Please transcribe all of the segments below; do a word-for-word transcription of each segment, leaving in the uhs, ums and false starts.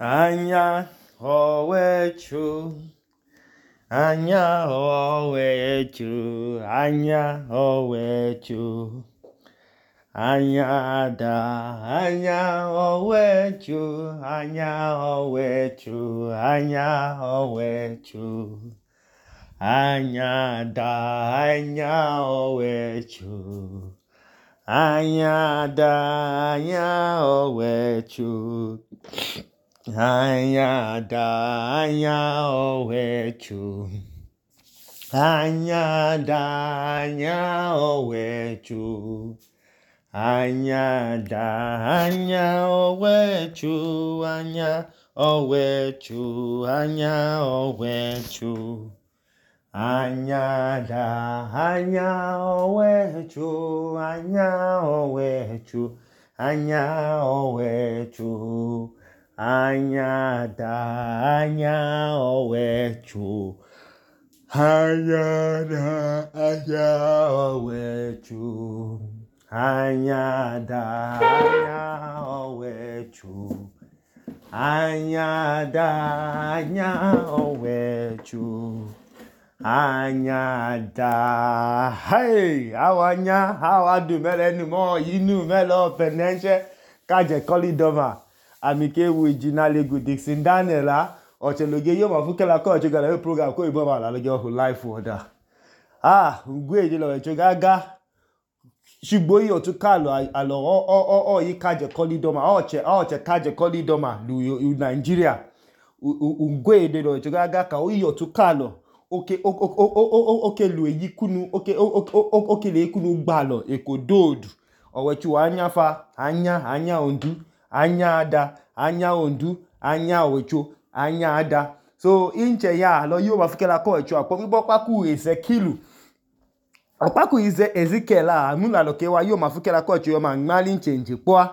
Anya owechu, anya owechu, anya owechu, anya da, anya owechu, anya owechu, anya owechu, anya da, anya owechu, anya da, anya owechu. Anya da, anya owechu, anya da, anya owechu, anya da, anya owechu, anya owechu, anya owechu, anya da, anya owechu, anya owechu, anya owechu. Anya da, anya owechu, anya da, anya owechu, anya da, anya owechu, anya da, anya owechu, anya da. Hey, awanya, awadu melenu mo yinu melo penenche kaje kolidoma. Amike wujina legu Dixon Daniela ocheloge yo mafukela ko chogala yo program ko ibo ma la lojo ho life order. Ah, ngwe je lo chogaga shigbo yo tu kalo alo o o o yi kaje kolidoma oche oche kaje kolidoma lu Nigeria. Ngwe de lo chogaga ka o yo tu kalo oke oke lu eyikunu oke oke le ikunu gbalo ekododu owechu anya fa anya anya ondu anya ada, anya ondu, anya owecho, anya ada. So inche ya lo yo mafukela ko echo apo bibo paku Ezekielu. Opaku ize Ezekiel a mula lo ke wa yo mafukela ko echo yo ma ngali nche nje po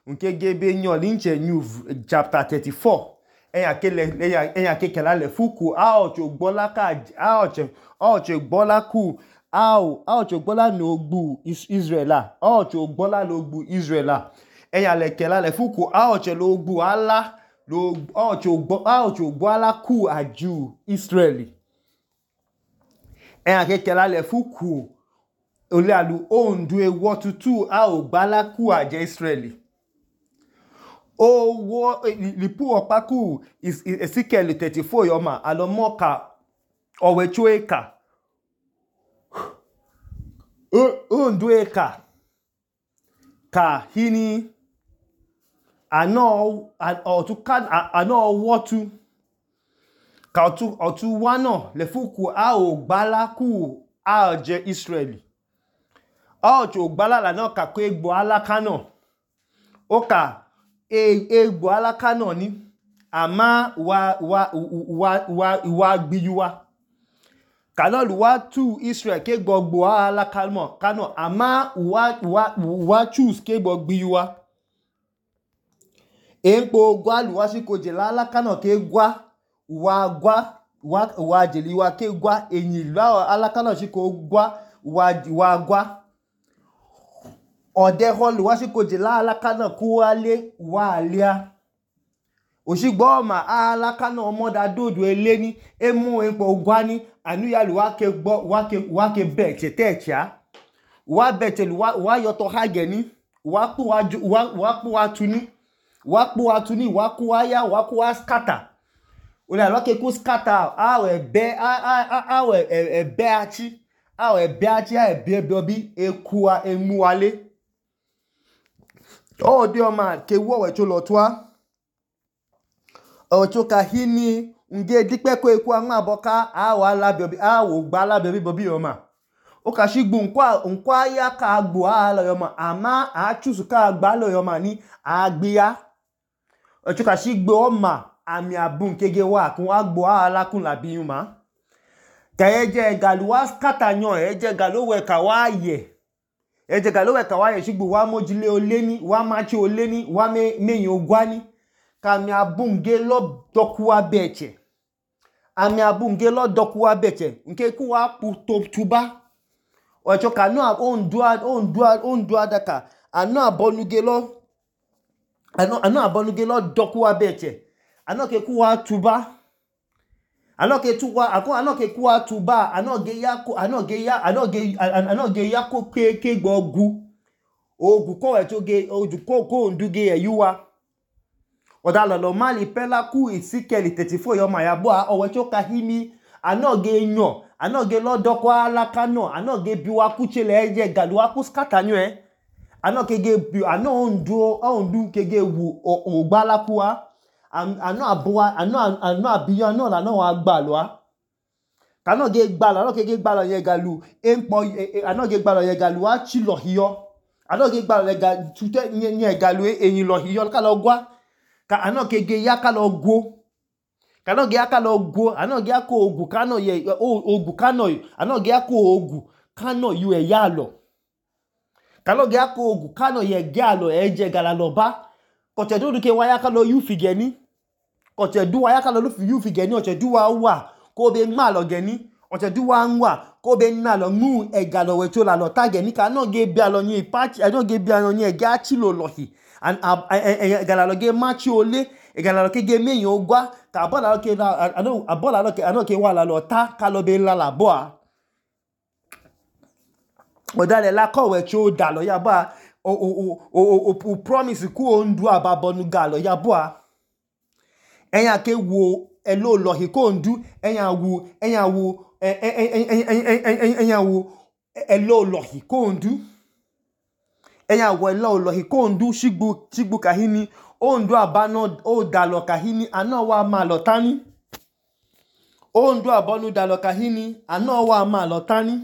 nke gebe nyo linche new chapter thirty-four. Eya kele eya eya kekela le fuku a ocho gbola ka a ocho ocho gbola ku a o a ocho gbola no gbu Israela a ocho gbola lo gbu Israela. Eya le kela le fuku a oche lo gbu ala lo a oche gbo a oche gbo ala ku aju Israeli. Eya ke kela le fuku ole alu ondu e wotutu a o gbala ku aje Israeli. O wo lipu opaku Ezekiel thirty-four yoma alomoka owecho eka. Ondu eka ka hini ano otu ka ano wotu ka otu otu wano le fuku a o gbala ku a je Israeli a otu gbala la no ka ko egbo alaka no o ka e egbo alaka no ni ama wa wa wa wa wa gbiyuwa kalo lu wa tu Israel ke gbogbo alaka mo kano ama wa wa wa choose ke gbogbo gbiyuwa. Empo gwa luwa si koje la alaka no ke gwa wa gwa wa wa jeli wa ke gwa enyi la alaka no si ko gwa wa wa gwa ode ho luwa si koje la alaka no ku ale wa alia osigbo ma alaka no mo da dodo eleni emu empo gwa ni anu ya luwa ke gbo wa ke wa ke be chetecha wa bete luwa wa yoto hage ni wa pu wa wa pu wa tuni wa pu wa tuni wa ku aya wa ku wa scatter ole alo ke ku scatter a we be a a a we e be achi a we be achi a e be obi ekua emu wale o de o ma ke wo we cho lo twa o cho ka hini nge dipe ko eku anwa aboka a wa la bi obi a wo gba la bi obi o ma o ka shigbu nkwa nkwa ya ka gbo a lo yo ma ama a choose ka gba lo yo ma ni agbiya o cho ka shigbo o ma ami abun kege wa kun wa gbo ala kun la bi yuma ka eje galuwa scatter yan eje galowe ka wa ye eje galowe ka wa ye shigbo wa mojile oleni wa machi oleni wa me meyin ogwani ka mi abun ge lo dokuwa beche ami abun ge lo dokuwa beche nke ku wa pu to tuba o cho ka no on do on do on do adaka ano abonuge lo ano ano abonuge lo dokuwa beche anoke kuwa tuba anoke tuwa ako anoke kuwa tuba anoge yako anoge ya anoge anoge yako ke ke gbogu ogu ko we toge oju ko ko nduge eyuwa odalo lo mali pela ku Ezekiel thirty-four yo ma ya bo a owe cho kahimi anoge nyo anoge lodoko alaka no anoge biwa kuchele eje galuwa ku scatter nyu e anoke ge bi ano ondu ondu kege wu ogbala kuwa ano abuwa ano ano abiyo ano la no wa gbalo a kano ge gbalo anoke ge gbalo ye galu empo anoge gbalo ye galu a chi lo hiyo anoge gbalo ye galu tute nye galu eyin lo hiyo ka lo gwa ka anoke ge ya ka lo gwo kano ge aka lo gwo anoge ako ogu kano ye ogu kano anoge ako ogu kano yu e ya lo kano ge ako ogu kano ye ga lo eje gala lo ba koche du ke waya ka lo yu figeni koche du waya ka lo yu figeni oche du wa wa ko be nma lo geni oche du wa nwa ko be na lo mu e galo we cho la lo tageni kano ge bia lo yin patch anoge bia lo yin e ga chi lo lohi and gala lo ge machi ole gala lo ke ge meyin ogwa ka bola lo ke ano abola lo ke ano ke wa la lo ta ka lo be la la bo a odale la ko we cho da lo ya ba o o o o promise ku ondu ababonu galo ya bo a eyan ke wo elo lohi ko ondu eyan wo eyan wo eyan wo elo lohi ko ondu eyan wo elo lohi ko ondu shigbu shigbu kahini ondu abano o dalo kahini ano wa ma lo tani ondu abonu dalo kahini ano wa ma lo tani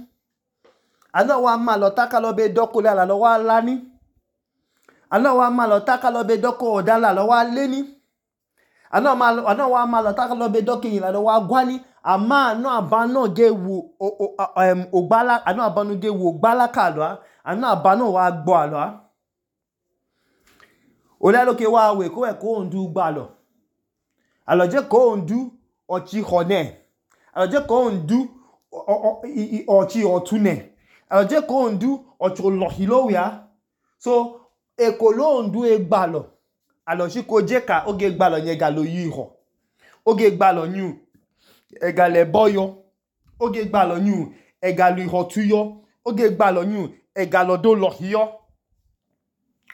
ano wa ma lo taka lo be doko la lo wa lani ano wa ma lo taka lo be doko odala lo wa leni ano ma ano wa ma lo taka lo be doko yin la lo wa gwani ama ano abano ge wu em ogbala ano abano ge wu ogbala ka lo ano abano wa gbo alo a ole lo ke wa we ko e ko ondu gba lo alo je ko ondu ochi hone alo je ko ondu ochi otune alo je ko ondu ocho lohi lo ya so e ko lo ondu e gba lo alo si ko je ka oge gba lo yen ga lo yi ho oge gba lo nyu e ga le boyo oge gba lo nyu e ga lo ho tuyo oge gba lo nyu e ga lo do lohi yo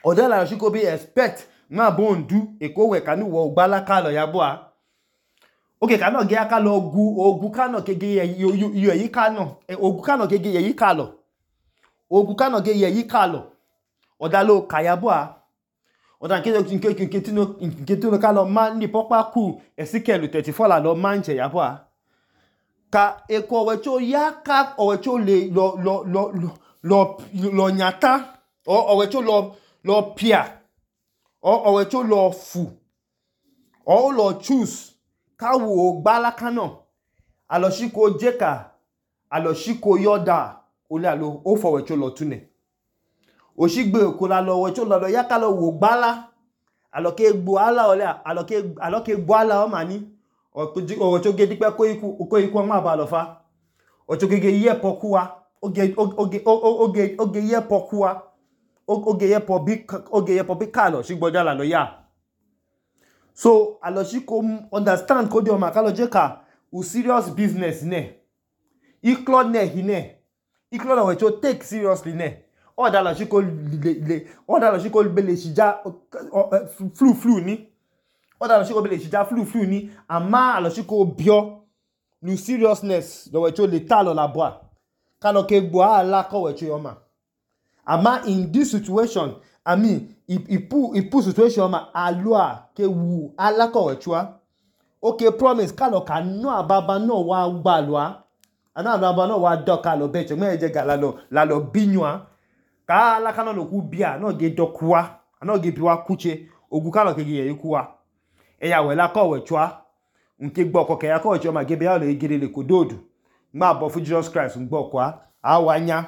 odela si ko be expect ma bo ondu e ko we kanu wo gbala ka lo ya bo a oge kanu ge aka lo gu ogu kanu kege ye yo yi kanu ogu kanu kege ye yi ka lo ogu kanu ge ye yi ka lo odalo ka ya bo a odan ke ke ke ke tino ke tino ka lo ma ni popa ku Ezekiel thirty-four la lo ma nje ya bo a ka e ko we cho ya ka o we cho le lo lo lo lo lo nyata o we cho lo lo pia o we cho lo fu o lo choose ka wo gbala kano alo shiko jeka alo shiko yoda ole alo o fo we cho lo tune o shigbe ko la lo we cho lo ya ka lo wo gbala alo ke gbo ala ole alo ke alo ke gbo ala o mani o o cho ge dipe ko iku ko iku ma ba lo fa o cho ge ye pokuwa oge oge oge oge ye pokuwa oge ye po bi oge ye po bi ka lo shigbo dala lo ya so alo shiko understand ko di o ma ka lo je ka u serious business ne iklo ne hine iklo na we cho take seriously ne o da lo shiko le o da lo shiko be le shija flu flu ni o da lo shiko be le shija flu flu ni ama alo shiko bio nu seriousness lo we cho le ta lo la boa ka lo ke gbo ala ko we cho yo ma ama in this situation I mean ipu ipu situation ma alua ke wu ala ko we cho okay promise ka lo ka no ababa no wa gba lo a ana ababa no wa do ka lo be che me je ga la lo la lo binwa ka ala ka no lo ku bia no ge dokuwa ana ge biwa kuche ogu ka lo ke ge yikuwa e ya we la ko we cho nke gbo ko ke ya ko we cho ma ge bia lo egere le kododu ma bo fu Jesus Christ ngbo kwa awanya